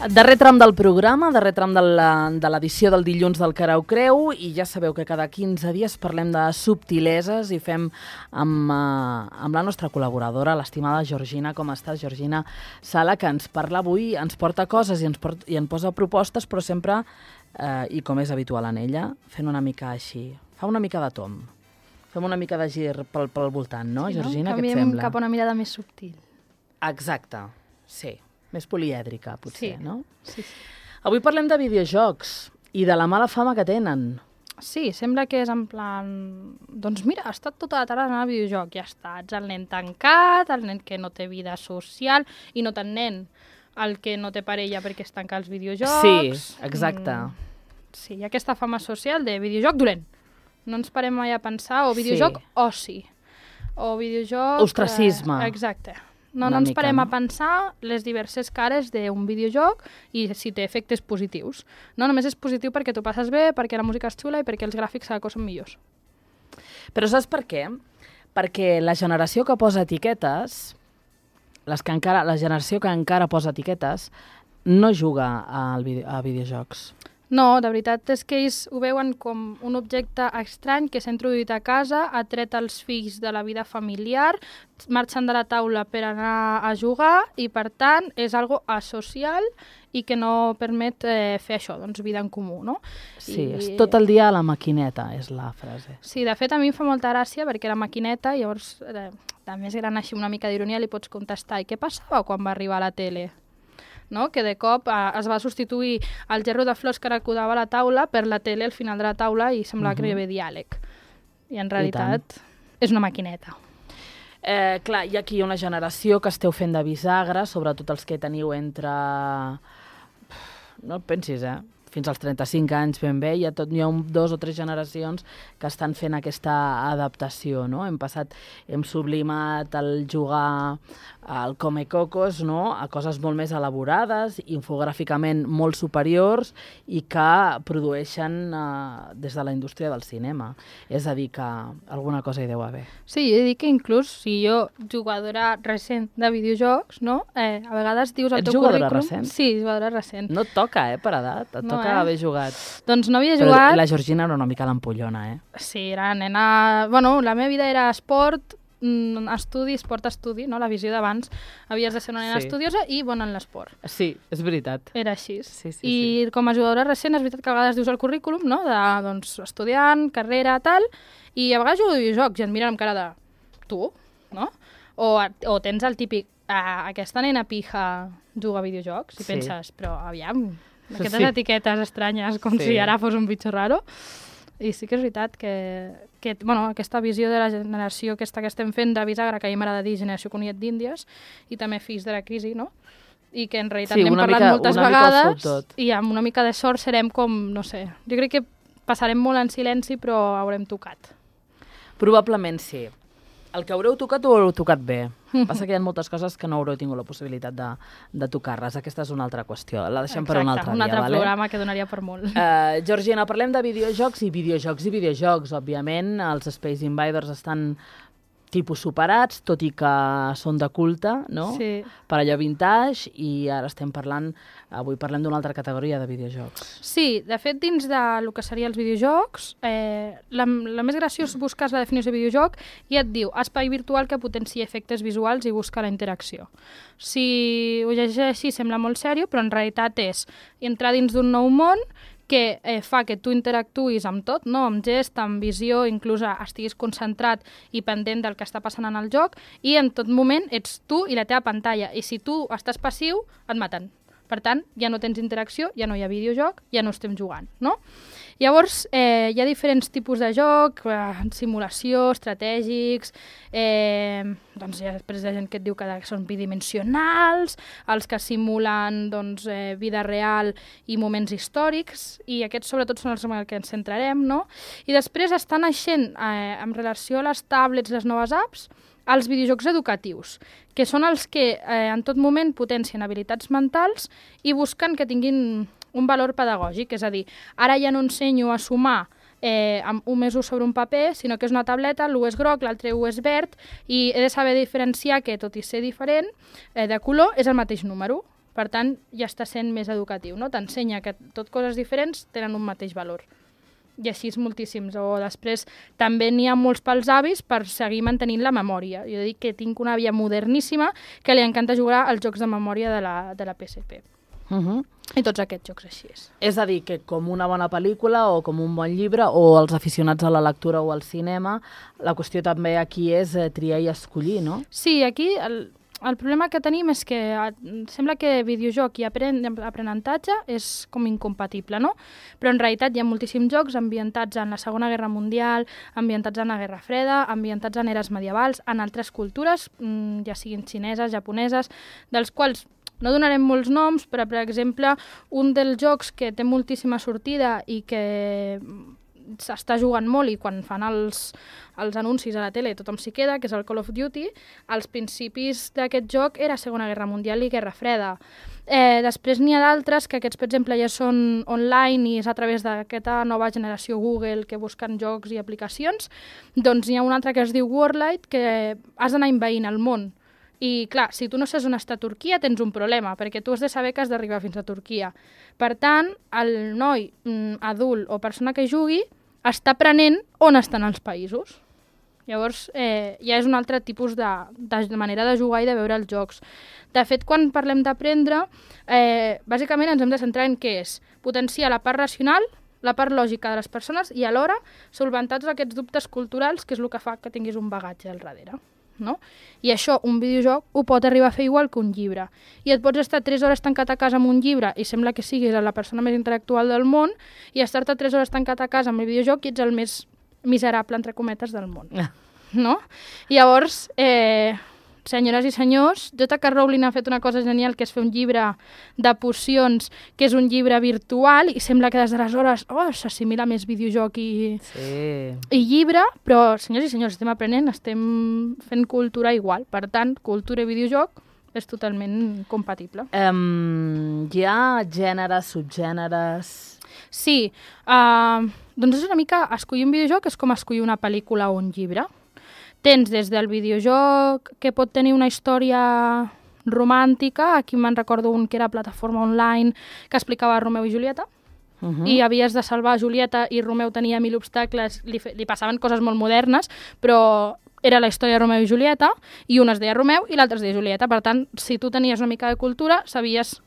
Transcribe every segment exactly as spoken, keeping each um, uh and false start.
Darrer tram del programa, darrer tram de l'edició del dilluns del Cara ho Creu, i ja sabeu que cada quinze dies parlem de subtileses i fem amb, uh, amb la nostra col·laboradora, l'estimada Georgina. Com estàs, Georgina Sala, que ens parla avui, ens porta coses i ens, port, i ens posa propostes, però sempre, uh, i com és habitual en ella, fent una mica així, fa una mica de tom. Fem una mica de gir pel, pel voltant, no, sí, Georgina? No? Què et sembla? Canviem cap a una mirada més subtil. Exacte, sí. Més polièdrica, potser, sí. no? Sí, sí. Avui parlem de videojocs i de la mala fama que tenen. Sí, sembla que és en plan... Doncs mira, ha estat tota la tarda anant al videojoc, ja està. Ets el nen tancat, el nen que no té vida social, i no tant nen, el que no té parella perquè es tanca als videojocs. Sí, exacte. Mm, sí, hi ha aquesta fama social de videojoc dolent. No ens parem mai a pensar, o videojoc sí. oci, o videojoc... Ostracisme. Eh, exacte. No, no ens mica, parem no? a pensar les diverses cares d'un videojoc i si té efectes positius. No només és positiu perquè tu passes bé, perquè la música és xula i perquè els gràfics cada cop són millors. Però saps per què? Perquè la generació que posa etiquetes, les que encara, la generació que encara posa etiquetes, no juga al video, a videojocs. No, de veritat és que ells ho veuen com un objecte estrany que s'ha introduït a casa, ha tret els fills de la vida familiar, marxen de la taula per anar a jugar i, per tant, és algo asocial i que no permet eh, fer això, doncs vida en comú, no? Sí, I... és tot el dia a la maquineta, és la frase. Sí, de fet, a mi em fa molta gràcia perquè la maquineta, llavors, eh, de més gran així una mica d'ironia, li pots contestar, i què passava quan va arribar a la tele? No? Que de cop eh, es va substituir el gerro de flors que recordava a la taula per la tele al final de la taula i semblava uh-huh. que hi havia diàleg. I en realitat I és una maquineta. Eh, clar, hi ha aquí una generació que esteu fent de bisagra, sobretot els que teniu entre... No et pensis, eh? Fins als trenta-cinc anys ben bé, hi ha, tot, hi ha un, dos o tres generacions que estan fent aquesta adaptació, no? Hem passat, hem sublimat el jugar al Come Cocos, no? A coses molt més elaborades, infogràficament molt superiors i que produeixen eh, des de la indústria del cinema. És a dir, que alguna cosa hi deu haver. Sí, jo he dit que inclús si jo, jugadora recent de videojocs, no? Eh, a vegades dius al Ets teu jugadora currículum... recent? Sí, jugadora recent. No et toca, eh, per edat. Et no, toca eh? haver jugat. Doncs no havia Però jugat... la Georgina era una mica l'ampollona, eh? Sí, era nena... Bueno, la meva vida era esport, estudi, esport-estudi, no? La visió d'abans. Havies de ser una nena sí. estudiosa i bona en l'esport. Sí, és veritat. Era així. Sí, sí, I sí. com a jugadora recent, és veritat que a vegades dius al currículum, no? De, doncs, estudiant, carrera, tal, i a vegades jugo a videojocs i et miren amb cara de... Tu? No? O, o tens el típic... Ah, aquesta nena pija juga a videojocs i sí. penses, però aviam... Aquestes sí. etiquetes estranyes, com sí. si ara fos un bitxo raro. I sí que és veritat que, que bueno, aquesta visió de la generació aquesta que estem fent de bisagra, que a mi m'agrada dir generació conillet d'Índies, i també fills de la crisi, no? I que en realitat sí, n'hem parlat mica, moltes vegades i amb una mica de sort serem com, no sé, jo crec que passarem molt en silenci però haurem tocat. Probablement sí. El que haureu tocat ho haureu tocat bé. Passa que hi ha moltes coses que no haureu tingut la possibilitat de, de tocar-les. Aquesta és una altra qüestió. La deixem Exacte, per un altre dia. un altre vale? programa que donaria per molt. Uh, Georgina, parlem de videojocs i videojocs i videojocs. Òbviament, els Space Invaders estan tipus superats, tot i que són de culte, no? Sí. Per allò vintage, i ara estem parlant, avui parlem d'una altra categoria de videojocs. Sí, de fet, dins del que serien els videojocs, eh, la, la més graciós busques la definició de videojoc i et diu espai virtual que potencia efectes visuals i busca la interacció. Si ho llegeix així sembla molt sèrio, però en realitat és entrar dins d'un nou món que eh, fa que tu interactuïs amb tot, no? Amb gest, amb visió, inclús estiguis concentrat i pendent del que està passant en el joc, i en tot moment ets tu i la teva pantalla, i si tu estàs passiu, et maten. Per tant, ja no tens interacció, ja no hi ha videojoc, ja no estem jugant, no? Llavors, eh, hi ha diferents tipus de joc, eh, simulació, estratègics, eh, doncs hi ha després hi ha gent que et diu que són bidimensionals, els que simulen doncs, eh, vida real i moments històrics, i aquests sobretot són els en què ens centrarem, no? I després estan naixent, eh, en relació a les tablets, les noves apps, els videojocs educatius, que són els que eh, en tot moment potencien habilitats mentals i busquen que tinguin un valor pedagògic, és a dir, ara ja no ensenyo a sumar eh, amb un més un sobre un paper, sinó que és una tableta, l'u és groc, l'altre u és verd, i he de saber diferenciar que, tot i ser diferent, eh, de color, és el mateix número. Per tant, ja està sent més educatiu, no? T'ensenya que tot coses diferents tenen un mateix valor. I així és moltíssims. O després també n'hi ha molts pels avis per seguir mantenint la memòria. Jo dic que tinc una àvia moderníssima que li encanta jugar als jocs de memòria de la, de la P S P. Uh -huh. I tots aquests jocs així és. És a dir, que com una bona pel·lícula o com un bon llibre, o els aficionats a la lectura o al cinema, la qüestió també aquí és eh, triar i escollir, no? Sí, aquí el, el problema que tenim és que eh, sembla que videojoc i apren, aprenentatge és com incompatible, no? Però en realitat hi ha moltíssims jocs ambientats en la Segona Guerra Mundial, ambientats en la Guerra Freda, ambientats en eres medievals, en altres cultures, ja siguin xineses, japoneses, dels quals no donarem molts noms, però, per exemple, un dels jocs que té moltíssima sortida i que s'està jugant molt i quan fan els, els anuncis a la tele tothom s'hi queda, que és el Call of Duty, als principis d'aquest joc era Segona Guerra Mundial i Guerra Freda. Eh, després n'hi ha d'altres que aquests, per exemple, ja són online i és a través d'aquesta nova generació Google que busquen jocs i aplicacions. Doncs n'hi ha un altre que es diu Warlight, que has d'anar envaint el món. I, clar, si tu no saps on està Turquia, tens un problema, perquè tu has de saber que has d'arribar fins a Turquia. Per tant, el noi mm, adult o persona que jugui està aprenent on estan els països. Llavors, eh, ja és un altre tipus de, de manera de jugar i de veure els jocs. De fet, quan parlem d'aprendre, eh, bàsicament ens hem de centrar en què és potenciar la part racional, la part lògica de les persones i alhora solventar tots aquests dubtes culturals, que és el que fa que tinguis un bagatge al darrere. No? I això, un videojoc, ho pot arribar a fer igual que un llibre. I et pots estar tres hores tancat a casa amb un llibre i sembla que siguis la persona més intel·lectual del món i estar-te tres hores tancat a casa amb el videojoc i ets el més miserable, entre cometes, del món. No? Llavors, eh, senyores i senyors, J K Rowling ha fet una cosa genial, que és fer un llibre de pocions, que és un llibre virtual, i sembla que des d'aleshores oh, s'assimila més videojoc i, sí. i llibre, però, senyors i senyors, estem aprenent, estem fent cultura igual. Per tant, cultura i videojoc és totalment compatible. Um, hi ha gèneres, subgèneres... Sí, uh, doncs és una mica, escollir un videojoc és com escollir una pel·lícula o un llibre. Tens des del videojoc que pot tenir una història romàntica, aquí me'n recordo un que era plataforma online que explicava Romeu i Julieta, uh -huh. i havies de salvar Julieta i Romeu tenia mil obstacles, li, li passaven coses molt modernes, però era la història de Romeu i Julieta, i un es deia Romeu i l'altre es deia Julieta, per tant, si tu tenies una mica de cultura, sabies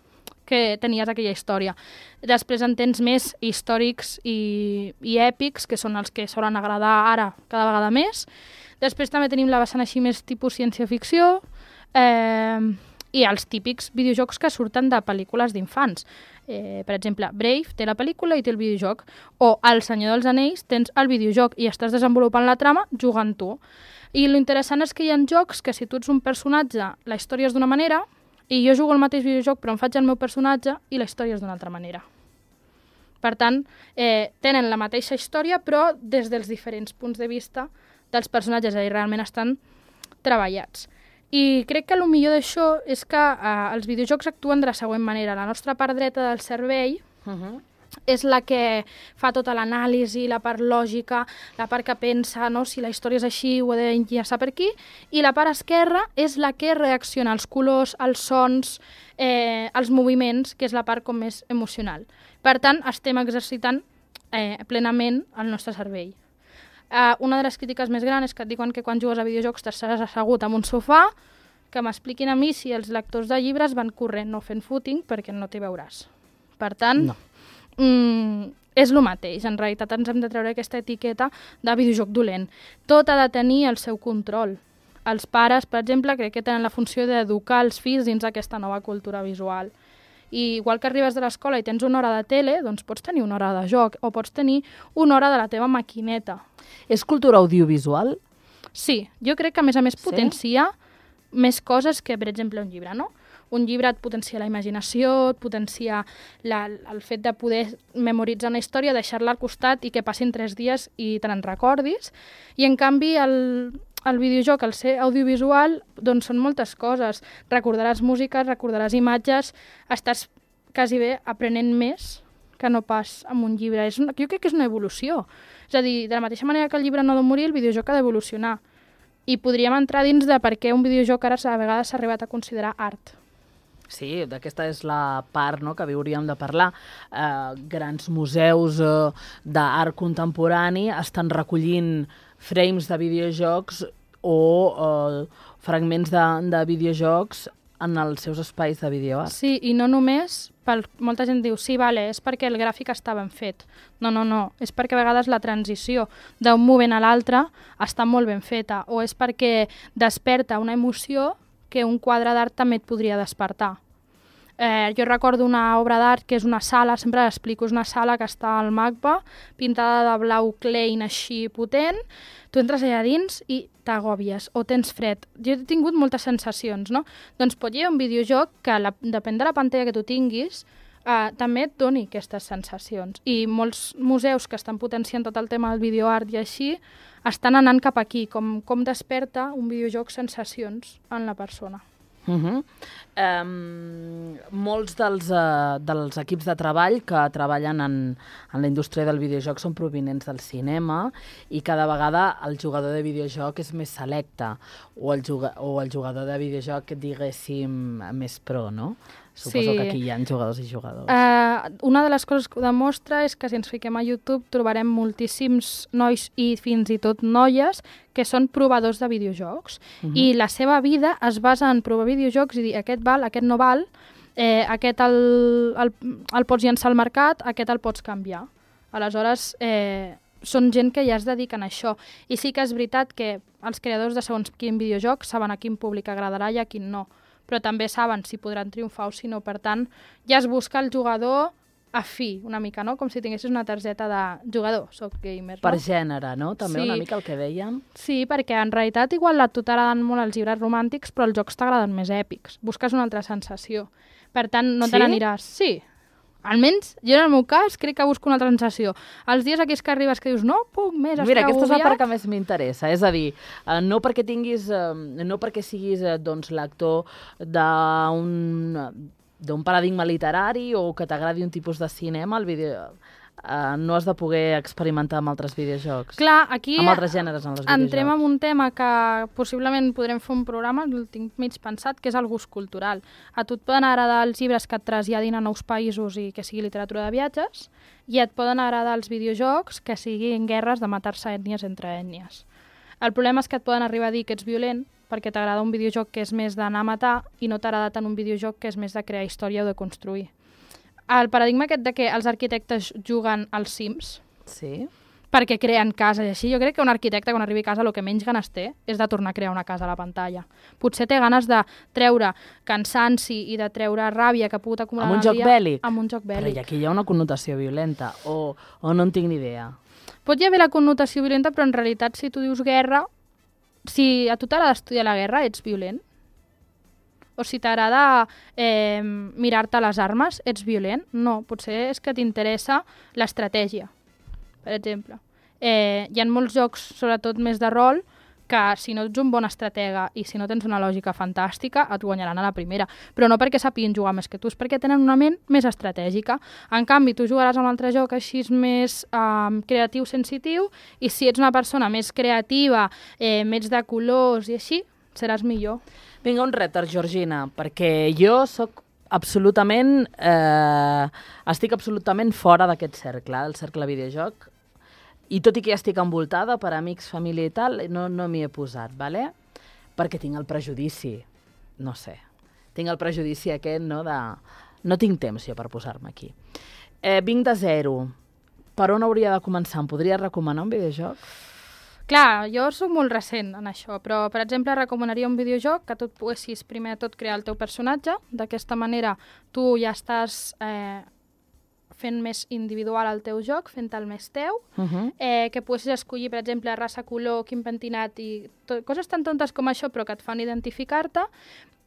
que tenies aquella història. Després en tens més històrics i, i èpics, que són els que solen agradar ara cada vegada més. Després també tenim la vessant així més tipus ciència-ficció eh, i els típics videojocs que surten de pel·lícules d'infants. Eh, per exemple, Brave té la pel·lícula i té el videojoc, o El Senyor dels Anells tens el videojoc i estàs desenvolupant la trama jugant tu. I l'interessant és que hi ha jocs que si tu ets un personatge, la història és d'una manera, i jo jugo el mateix videojoc però em faig el meu personatge i la història és d'una altra manera. Per tant, eh, tenen la mateixa història però des dels diferents punts de vista dels personatges, i realment estan treballats. I crec que el millor d'això és que eh, els videojocs actuen de la següent manera. La nostra part dreta del cervell uh -huh. és la que fa tota l'anàlisi, la part lògica, la part que pensa, no? Si la història és així, ho he d'enllaçar per aquí, i la part esquerra és la que reacciona als colors, als sons, eh, als moviments, que és la part com més emocional. Per tant, estem exercitant eh, plenament el nostre cervell. Uh, una de les crítiques més grans és que et diuen que quan jugues a videojocs t'estaràs assegut en un sofà, que m'expliquin a mi si els lectors de llibres van corrent no fent footing perquè no t'hi veuràs. Per tant, no. mm, és el mateix. En realitat ens hem de treure aquesta etiqueta de videojoc dolent. Tot ha de tenir el seu control. Els pares, per exemple, crec que tenen la funció d'educar els fills dins aquesta nova cultura visual. I igual que arribes de l'escola i tens una hora de tele, doncs pots tenir una hora de joc o pots tenir una hora de la teva maquineta. És cultura audiovisual? Sí, jo crec que a més a més sí? potencia més coses que, per exemple, un llibre, no? Un llibre et potencia la imaginació, et potencia la, el fet de poder memoritzar una història, deixar-la al costat i que passin tres dies i te n'en recordis. I en canvi el, el videojoc, al ser audiovisual, doncs són moltes coses. Recordaràs música, recordaràs imatges, estàs quasi bé aprenent més que no pas amb un llibre. És una, jo crec que és una evolució. És a dir, de la mateixa manera que el llibre no ha de morir, el videojoc ha d'evolucionar. I podríem entrar dins de per què un videojoc ara a vegades s'ha arribat a considerar art. Sí, d'aquesta és la part, no?, que hauríem de parlar. Eh, grans museus eh, d'art contemporani estan recollint frames de videojocs o eh, fragments de, de videojocs en els seus espais de videoart. Sí, i no només, pel, molta gent diu, sí, vale, és perquè el gràfic està ben fet. No, no, no, és perquè a vegades la transició d'un moment a l'altre està molt ben feta, o és perquè desperta una emoció que un quadre d'art també et podria despertar. Eh, jo recordo una obra d'art que és una sala, sempre l'explico, és una sala que està al MACBA, pintada de blau Klein així potent, tu entres allà dins i t'agòbies o tens fred. Jo he tingut moltes sensacions, no? Doncs pot haver un videojoc que, la, depèn de la pantalla que tu tinguis, eh, també et doni aquestes sensacions. I molts museus que estan potenciant tot el tema del videoart i així, estan anant cap aquí, com, com desperta un videojoc sensacions en la persona. Uh -huh. um, molts dels, uh, dels equips de treball que treballen en, en la indústria del videojoc són provinents del cinema i cada vegada el jugador de videojoc és més selecte o el, juga, o el jugador de videojoc, diguéssim, més pro, no? Suposo sí. que aquí hi ha jugadors i jugadors. Uh, una de les coses que ho demostra és que si ens fiquem a YouTube trobarem moltíssims nois i fins i tot noies que són provadors de videojocs. Uh-huh. I la seva vida es basa en provar videojocs i dir aquest val, aquest no val, eh, aquest el, el, el pots llançar al mercat, aquest el pots canviar. Aleshores, eh, són gent que ja es dediquen a això. I sí que és veritat que els creadors de segons quin videojoc saben a quin públic agradarà i a quin no, però també saben si podran triomfar o si no. Per tant, ja es busca el jugador afí, una mica, no? Com si tinguessis una targeta de jugador, soc gamer, no? Per gènere, no? També sí. Una mica el que dèiem. Sí, perquè en realitat igual a tu t'agraden molt els llibres romàntics, però els jocs t'agraden més èpics. Busques una altra sensació. Per tant, no sí? te n'aniràs... Sí, almenys, jo en el meu cas crec que busco una altra sensació. Els dies aquells que arribes que dius, no puc més, Mira, aquesta és la part que més m'interessa. És a dir, eh, no perquè tinguis, eh, no perquè siguis eh, doncs, l'actor d'un d'un paradigma literari o que t'agradi un tipus de cinema, el vídeo... Uh, no has de poder experimentar amb altres videojocs. Clar, aquí amb altres gèneres en els videojocs. Entrem en un tema que possiblement podrem fer un programa, el tinc mig pensat, que és el gust cultural. A tu et poden agradar els llibres que et traslladin a nous països i que sigui literatura de viatges, i et poden agradar els videojocs que siguin guerres de matar-se ètnies entre ètnies. El problema és que et poden arribar a dir que ets violent perquè t'agrada un videojoc que és més d'anar a matar i no t'agrada tant un videojoc que és més de crear història o de construir. El paradigma aquest de que els arquitectes juguen als Sims, sí, perquè creen cases i així, jo crec que un arquitecte quan arribi a casa el que menys ganes té és de tornar a crear una casa a la pantalla. Potser té ganes de treure cansanci i de treure ràbia que ha pogut acumular amb un el joc dia bèl·lic. amb un joc bèl·lic. Però aquí hi ha una connotació violenta, o, o no en tinc ni idea. Pot hi haver la connotació violenta, però en realitat si tu dius guerra, si a tu t'agrada estudiar la guerra, ets violent. O si t'agrada eh, mirar-te les armes, ets violent? No, potser és que t'interessa l'estratègia, per exemple. Eh, hi ha molts jocs, sobretot més de rol, que si no ets un bon estratega i si no tens una lògica fantàstica, et guanyaran a la primera. Però no perquè sapiguin jugar més que tu, és perquè tenen una ment més estratègica. En canvi, tu jugaràs a un altre joc així més eh, creatiu, sensitiu, i si ets una persona més creativa, eh, més de colors i així, seràs millor. Vinga, un repte, Georgina, perquè jo sóc absolutament... Eh, estic absolutament fora d'aquest cercle, el cercle videojoc, i tot i que ja estic envoltada per amics, família i tal, no, no m'hi he posat, ¿vale? Perquè tinc el prejudici, no sé, tinc el prejudici aquest, no, de... No tinc temps jo per posar-me aquí. Eh, vinc de zero. Per on hauria de començar? Em podries recomanar un videojoc? Clar, jo soc molt recent en això, però, per exemple, recomanaria un videojoc que tu et poguessis, primer de tot, crear el teu personatge. D'aquesta manera, tu ja estàs eh, fent més individual el teu joc, fent-te'l més teu, Uh-huh. eh, que poguessis escollir, per exemple, raça, color, quin pentinat i tot, coses tan tontes com això, però que et fan identificar-te.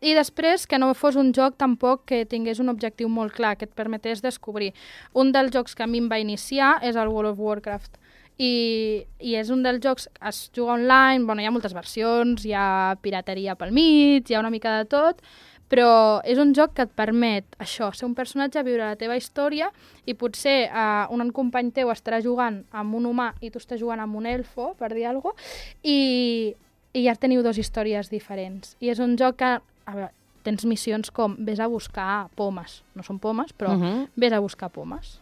I després que no fos un joc tampoc que tingués un objectiu molt clar, que et permetés descobrir. Un dels jocs que a mi em va iniciar és el World of Warcraft. I, i és un dels jocs, es juga online, bueno, hi ha moltes versions, hi ha pirateria pel mig, hi ha una mica de tot, però és un joc que et permet això, ser un personatge, viure la teva història, i potser eh, un company teu estarà jugant amb un humà i tu estàs jugant amb un elfo, per dir alguna cosa, i, i ja teniu dues històries diferents. I és un joc que, a veure, tens missions com vés a buscar pomes. No són pomes, però Mhm. vés a buscar pomes.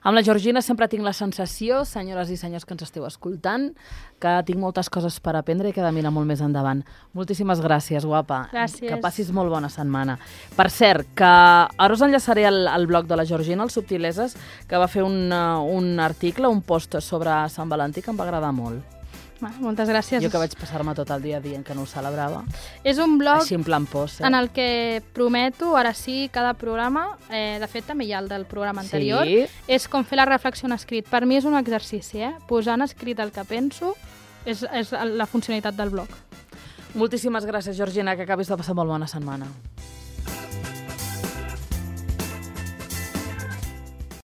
Amb la Georgina sempre tinc la sensació, senyores i senyors que ens esteu escoltant, que tinc moltes coses per aprendre i que he de mirar molt més endavant. Moltíssimes gràcies, guapa. Gràcies. Que passis molt bona setmana. Per cert, que ara us enllaçaré al, al blog de la Georgina, el Subtileses, que va fer un, uh, un article, un post sobre Sant Valentí que em va agradar molt. Va, moltes gràcies. Jo que vaig passar-me tot el dia dient que no ho celebrava. És un blog Així en plan post, eh? en el que prometo, ara sí, cada programa, eh, de fet també hi ha el del programa anterior, Sí. és com fer la reflexió en escrit. Per mi és un exercici, eh? Posar en escrit el que penso és, és la funcionalitat del blog. Moltíssimes gràcies, Georgina, que acabis de passar molt bona setmana.